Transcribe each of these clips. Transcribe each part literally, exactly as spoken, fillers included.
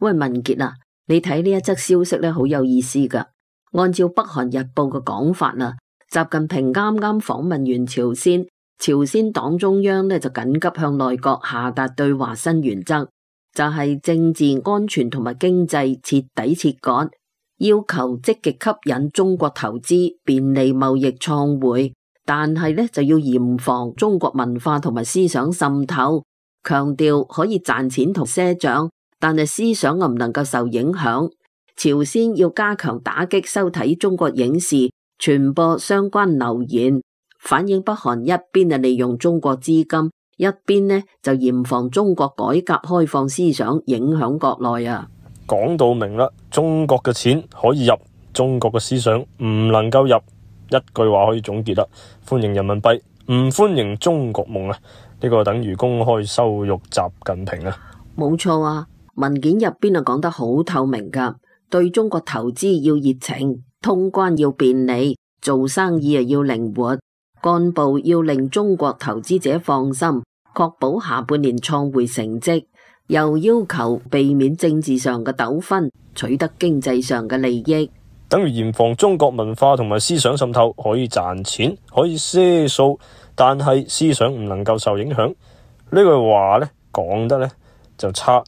喂，文傑啊，你睇呢一則消息咧，好有意思噶。按照北韓日報嘅講法啊，習近平啱啱訪問完朝鮮，朝鮮黨中央咧就緊急向內閣下達對華新原則，就係政治安全同埋經濟徹底切割，要求積極吸引中國投資，便利貿易創匯，但係咧就要嚴防中國文化同埋思想滲透，強調可以賺錢同賒賬，但係思想又唔能夠受影響。朝鮮要加強打擊收睇中國影視、傳播相關流言，反映北韓一邊係利用中國資金，一邊呢就嚴防中國改革開放思想影響國內啊。講到明啦，中國嘅錢可以入，中國嘅思想唔能夠入，一句話可以總結啦：歡迎人民幣，唔歡迎中國夢啊！呢個等於公開羞辱習近平啊！冇錯啊，文件入邊啊講得好透明噶。對中國投資要熱情，通關要便利，做生意啊要靈活，幹部要令中國投資者放心，確保下半年創匯成績，又要求避免政治上嘅糾紛，取得經濟上嘅利益，等於嚴防中國文化同埋思想滲透，可以賺錢，可以賒數，但係思想唔能夠受影響。呢句話呢講得呢就差，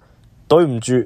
對唔住。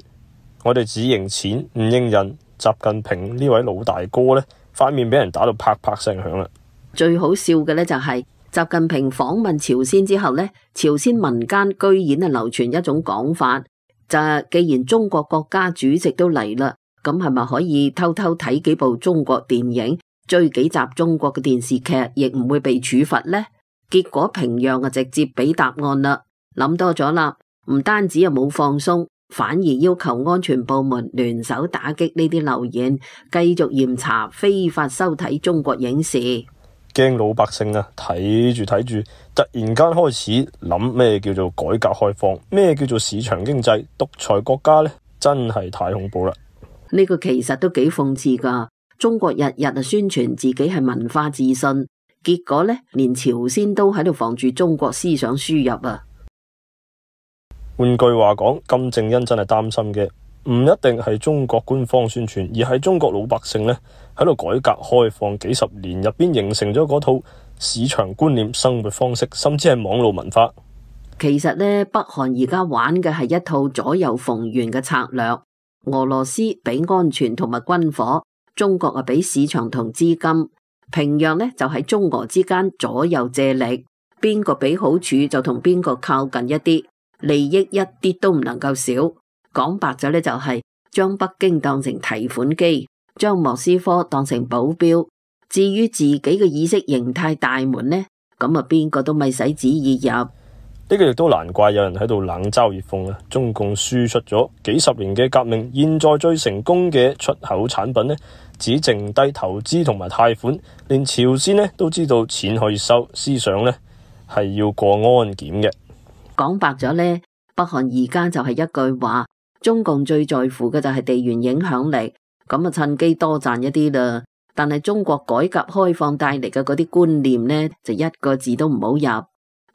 我哋只認錢唔認人，習近平呢位老大哥呢，塊面俾人打到啪啪聲響啦。最好笑嘅呢，就係習近平訪問朝鮮之後呢，朝鮮民間居然係流傳一種講法，就係既然中國國家主席都嚟啦，咁係咪可以偷偷睇幾部中國電影，追幾集中國嘅電視劇，亦唔會被處罰呢？結果平壤啊直接俾答案啦，諗多咗啦，唔單止又冇放鬆，反而要求安全部門聯手打擊呢啲流言，繼續嚴查非法收睇中國影視。驚老百姓啊，睇住睇住，突然間開始諗咩叫做改革開放，咩叫做市場經濟，獨裁國家呢？真係太恐怖啦！呢個其實都幾諷刺噶。中國日日啊宣傳自己係文化自信，結果呢，連朝鮮都喺度防住中國思想輸入啊！換句話講，金正恩真係擔心嘅，唔一定係中國官方宣傳，而係中國老百姓呢喺度改革開放幾十年入邊形成咗嗰套市場觀念、生活方式，甚至係網絡文化。其實呢，北韓而家玩嘅係一套左右逢源嘅策略，俄羅斯俾安全同埋軍火，中國啊俾市場同資金，平壤呢就喺中俄之間左右借力，邊個俾好處就同邊個靠近一啲。利益一啲都唔能夠少，講白咗呢，就係將北京當成提款機，將莫斯科當成保鏢。至於自己嘅意識形態大門呢，咁啊邊個都咪使旨意入。呢個亦都難怪有人喺度冷嘲熱諷啊！中共輸出咗幾十年嘅革命，現在最成功嘅出口產品呢，只剩低投資同埋貸款，連朝鮮呢都知道錢可以收，思想呢係要過安檢嘅。講白咗呢，北韓而家就係一句話，中共最在乎嘅就係地緣影響力，咁啊趁機多賺一啲啦。但係中國改革開放帶嚟嘅嗰啲觀念呢，就一個字都唔好入。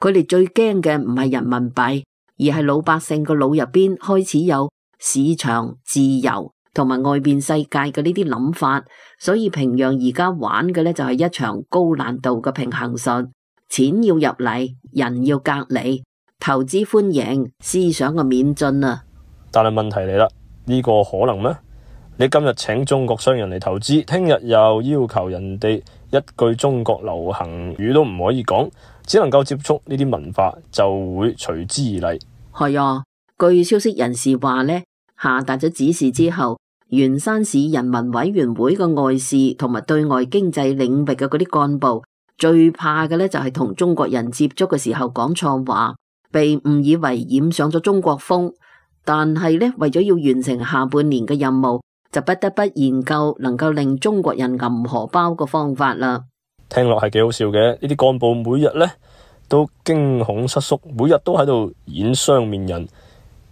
佢哋最驚嘅唔係人民幣，而係老百姓個腦入邊開始有市場自由同埋外邊世界嘅呢啲諗法。所以平壤而家玩嘅呢，就係一場高難度嘅平衡術，錢要入嚟，人要隔離。投資歡迎，思想嘅免進啊！但係問題嚟啦，呢個可能咩？你今日請中國商人嚟投資，聽日又要求人哋一句中國流行語都唔可以講，只能夠接觸呢啲文化，就會隨之而嚟。係啊，據消息人士話呢，下達咗指示之後，元山市人民委員會嘅外事同埋對外經濟領域嘅嗰啲幹部，最怕嘅呢就係同中國人接觸嘅時候講錯話，被誤以為染上咗中國風，但係咧為咗要完成下半年嘅任務，就不得不研究能夠令中國人揞荷包嘅方法啦。聽落係幾好笑嘅，呢啲幹部每日咧都驚恐失縮，每日都喺度演雙面人，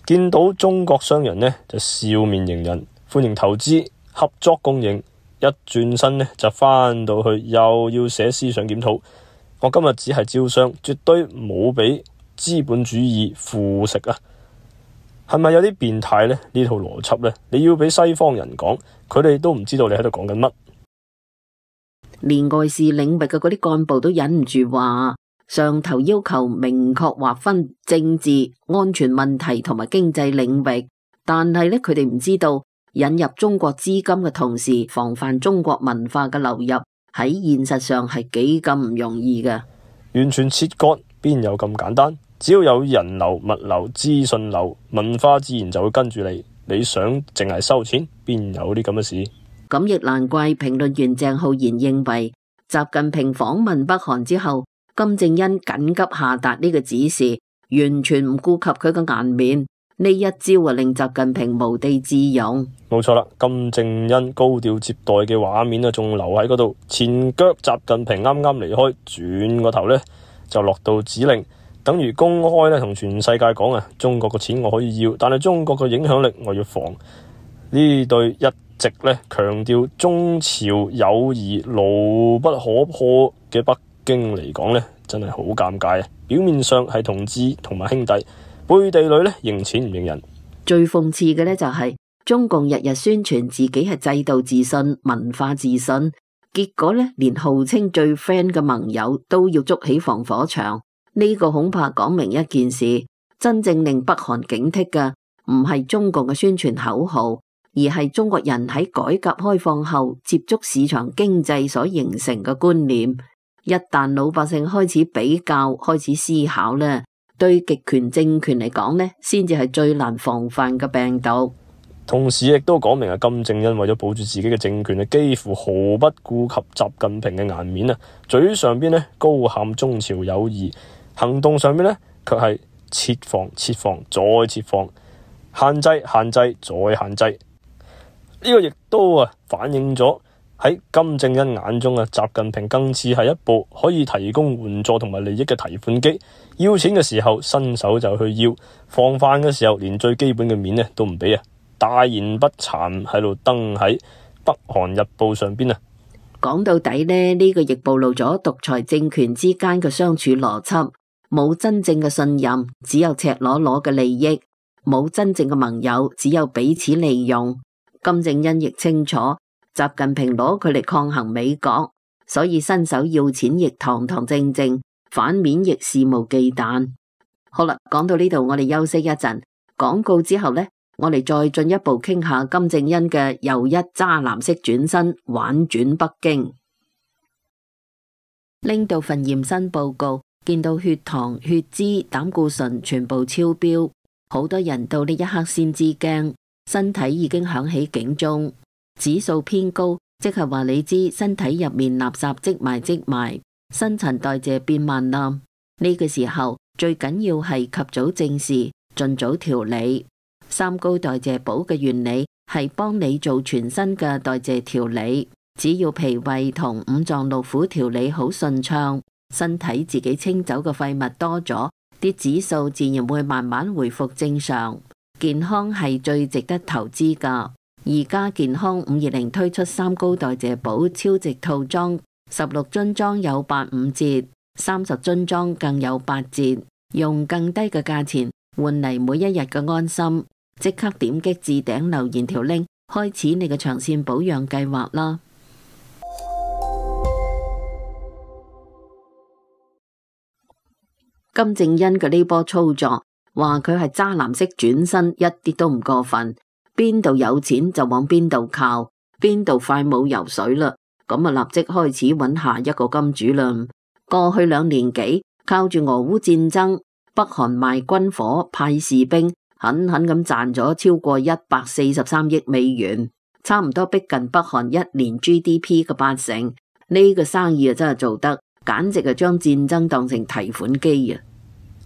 見到中國商人呢，就笑面迎人，歡迎投資合作共贏，一轉身呢，就翻到去又要寫思想檢討。我今日只係招商，絕對冇俾資本主義腐蝕啊！係咪有啲變態呢？呢套邏輯呢，你要俾西方人講，佢哋都唔知道你喺度講緊乜。連外事領域嘅嗰啲幹部都忍唔住話，上頭要求明確劃分政治、安全問題同埋經濟領域，但係呢，佢哋唔知道引入中國資金嘅同時，防範中國文化嘅流入喺現實上係幾咁唔容易嘅。完全切割邊有咁簡單？只要有人流、物流、資訊流，文化自然就會跟住你。你想淨係收錢，邊有啲咁嘅事？咁亦難怪評論員鄭浩然認為，習近平訪問北韓之後，金正恩緊急下達呢個指示，完全唔顧及佢嘅顏面。呢一招啊，令習近平無地自容。冇錯啦，金正恩高調接待嘅畫面啊，仲留喺嗰度。前腳習近平啱啱離開，轉個頭呢就落到指令，等於公開咧同全世界講啊，中國嘅錢我可以要，但係中國嘅影響力我要防。呢對一直咧強調中朝友誼牢不可破嘅北京嚟講咧，真係好尷尬啊！表面上係同志同埋兄弟，背地裏咧認錢唔認人。最諷刺嘅咧就係、是、中共日日宣傳自己係制度自信、文化自信，結果咧連號稱最 friend 嘅盟友都要築起防火牆。呢、這個恐怕講明一件事：真正令北韓警惕嘅唔係中共嘅宣傳口號，而係中國人喺改革開放後接觸市場經濟所形成嘅觀念。一旦老百姓開始比較、開始思考咧，對極權政權嚟講咧，先至係最難防範嘅病毒。同時亦都講明啊，金正恩為咗保住自己嘅政權啊，幾乎毫不顧及習近平嘅顏面啊，嘴上邊咧高喊中朝友誼，行動上面咧卻係設防、設防再設防，限制、限制再限制。呢個亦都啊反映咗喺金正恩眼中啊，習近平更似係一部可以提供援助同埋利益嘅提款機，要錢嘅時候伸手就去要，防範嘅時候連最基本嘅面咧都唔俾啊！大言不慚喺度登喺北韓日報上邊啊！講到底呢，呢個亦暴露咗獨裁政權之間嘅相處邏輯，冇真正嘅信任，只有赤裸裸嘅利益；冇真正嘅盟友，只有彼此利用。金正恩亦清楚，習近平攞佢嚟抗衡美國，所以伸手要錢亦堂堂正正，反面亦肆無忌憚。好啦，講到呢度，我哋休息一陣，廣告之後呢，我哋再進一步傾下金正恩嘅又一渣男式轉身，玩轉北京。拎到份驗身報告，見到血糖、血脂、膽固醇全部超標，好多人到呢一刻先知驚。身體已經響起警鐘，指數偏高，即係話你知身體入面垃圾積埋積埋，新陳代謝變慢啦。呢個時候最緊要係及早正視，盡早調理。三高代謝寶嘅原理係幫你做全身嘅代謝調理，只要脾胃同五臟六腑調理好順暢，身體自己清走嘅廢物多咗，啲指數自然會慢慢回復正常。健康係最值得投資㗎。而家健康五二零推出三高代謝寶超值套裝，十六樽裝有八五折，三十樽裝更有八折，用更低嘅價錢換嚟每一日嘅安心。即刻點擊置頂留言條 link， 開始你嘅長線保養計劃啦。金正恩嘅呢波操作，話佢係渣男式轉身，一啲都唔過分。邊度有錢就往邊度靠，邊度快冇游水啦，咁啊立即開始揾下一個金主啦。過去兩年幾，靠住俄烏戰爭，北韓賣軍火派士兵，狠狠咁賺咗超過一百四十三億美元，差唔多逼近北韓一年 G D P 嘅八成。呢個生意啊真係做得，簡直係將戰爭當成提款機啊！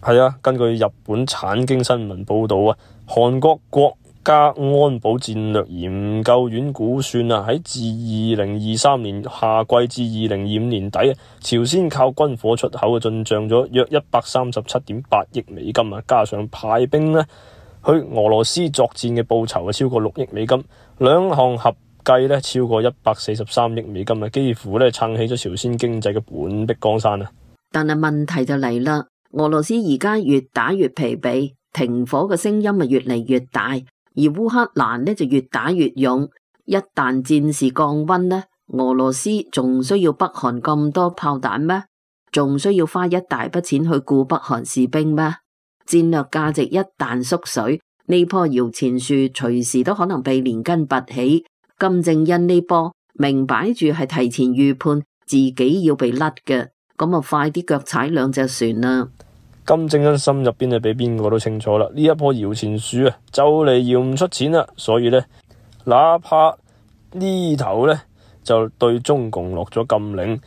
係啊，根據日本產經新聞報道啊，韓國國家安保戰略研究院估算啊，喺自二零二三年夏季至二零二五年底啊，朝鮮靠軍火出口嘅進賬咗約一百三十七點八億美金啊，加上派兵呢去俄羅斯作戰嘅報酬啊超過六億美金，兩項合計呢超過一百四十三億美金啊，幾乎呢撐起咗朝鮮經濟嘅半壁江山啊！但係問題就嚟啦。俄羅斯而家越打越疲憊，停火嘅聲音咪越嚟越大，而烏克蘭呢就越打越勇。一旦戰事降溫呢，俄羅斯仲需要北韓咁多炮彈咩？仲需要花一大筆錢去僱北韓士兵咩？戰略價值一旦縮水，呢棵搖錢樹隨時都可能被連根拔起。金正恩呢波明擺住係提前預判自己要被甩嘅，咁啊快啲腳踩兩隻船啦！金正恩心入邊就比邊個都清楚啦，呢一棵搖錢樹啊就嚟搖唔出錢啦，所以呢，哪怕呢頭呢就對中共落咗禁令，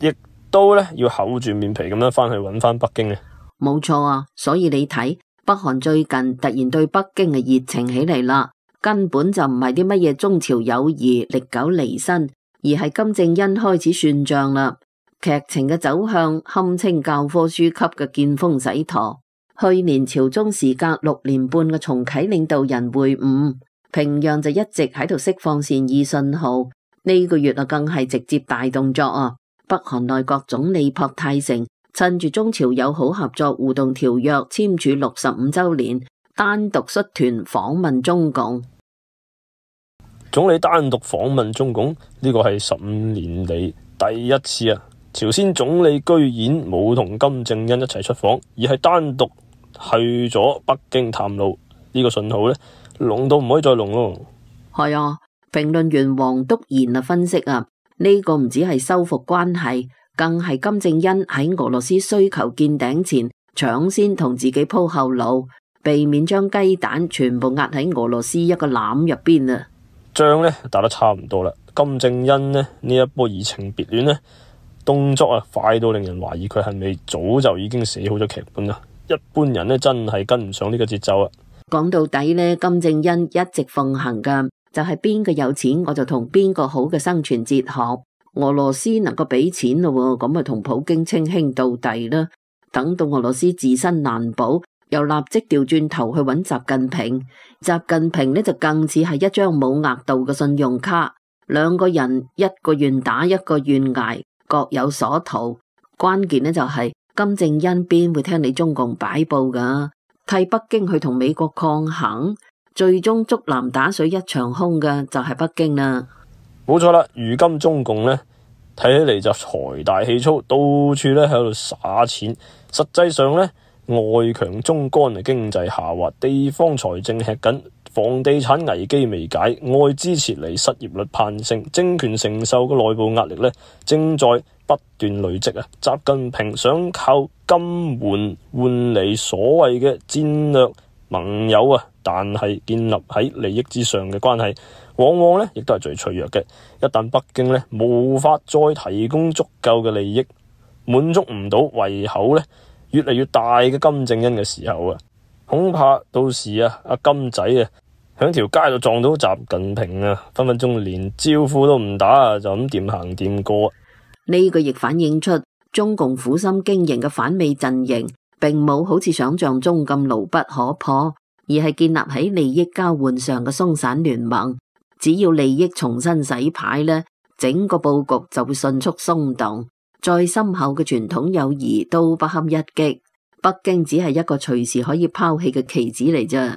亦都呢要厚住面皮咁樣翻去揾翻北京嘅。冇錯啊，所以你睇北韓最近突然對北京嘅熱情起嚟啦，根本就唔係啲乜嘢中朝友誼歷久彌新，而係金正恩開始算賬啦。劇情嘅走向堪稱教科書級嘅見風使舵。去年朝中時隔六年半嘅重啟領導人會晤，平壤就一直喺度釋放善意信號。呢個月啊，更係直接大動作啊！北韓內閣總理朴泰成趁住中朝友好合作互動條約簽署六十五週年，單獨率團訪問中共。總理單獨訪問中共，呢個係十五年嚟第一次啊！朝鮮總理居然冇同金正恩一齊出訪，而係單獨去咗北京探路。呢個信號呢，濃到唔可以再濃咯。係啊，評論員黃篤賢啊分析啊，呢個唔只係修復關係，更係金正恩喺俄羅斯需求見頂前搶先同自己鋪後路，避免將雞蛋全部壓喺俄羅斯一個籃入邊啊。仗呢打得差唔多啦，金正恩呢呢一波移情別戀呢，動作啊快到令人懷疑佢係咪早就已經寫好咗劇本啦？一般人呢真係跟唔上呢個節奏啊！講到底呢，金正恩一直奉行噶就係邊個有錢我就同邊個好嘅生存哲學。俄羅斯能夠俾錢咯，咁咪同普京稱兄道弟啦。等到俄羅斯自身難保，又立即調轉頭去揾習近平。習近平呢就更似係一張冇額度嘅信用卡，兩個人一個願打一個願挨，各有所圖。關鍵呢就係金正恩邊會聽你中共擺布噶，替北京去同美國抗衡，最終竹籃打水一場空嘅就係北京啦。冇錯啦，如今中共呢睇起嚟就財大氣粗，到處呢喺度撒錢，實際上呢，外強中乾嘅經濟下滑，地方財政吃緊，房地產危機未解，外資撤離，失業率攀升，政權承受嘅內部壓力呢正在不斷累積啊！習近平想靠金援換嚟所謂嘅戰略盟友啊，但係建立喺利益之上嘅關係，往往呢亦都係最脆弱嘅。一旦北京呢無法再提供足夠嘅利益，滿足唔到胃口呢越嚟越大嘅金正恩嘅時候啊，恐怕到時啊阿金仔啊響條街度撞到習近平啊，分分鐘連招呼都唔打啊，就咁掂行掂過。呢個亦反映出中共苦心經營嘅反美陣營，並冇好似想象中咁牢不可破，而係建立喺利益交換上嘅鬆散聯盟。只要利益重新洗牌呢，整個佈局就會迅速鬆動，再深厚嘅傳統友誼都不堪一擊。北京只係一個隨時可以拋棄嘅棋子嚟啫。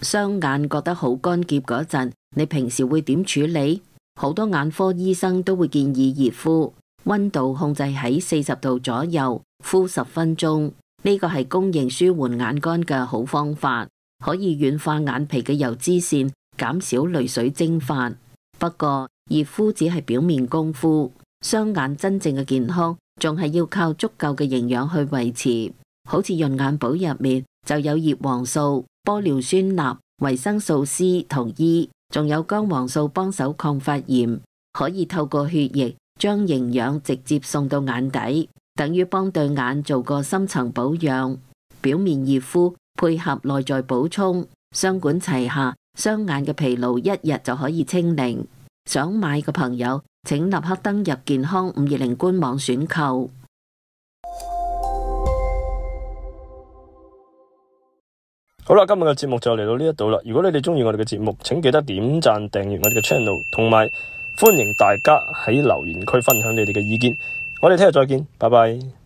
雙眼覺得好乾澀嗰陣，你平時會點處理？好多眼科醫生都會建議熱敷，溫度控制喺四十度左右，敷十分鐘。呢個係公認舒緩眼乾嘅好方法，可以軟化眼皮嘅油脂腺，減少淚水蒸發。不過熱敷只係表面功夫，雙眼真正嘅健康仲係要靠足夠嘅營養去維持。好似潤眼寶入面就有葉黃素、玻尿酸鈉、維生素 C 同 E， 仲有姜黃素幫手抗發炎，可以透過血液將營養直接送到眼底，等於幫對眼做個深層保養。表面熱敷配合內在補充，雙管齊下，雙眼嘅疲勞一日就可以清零。想買嘅朋友請立刻登入健康五二零官網選購。好啦，今日嘅節目就嚟到呢一度啦。如果你哋中意我哋嘅節目，請記得點讚、訂閱我哋嘅 channel， 同埋歡迎大家喺留言區分享你哋嘅意見。我哋聽日再見，拜拜。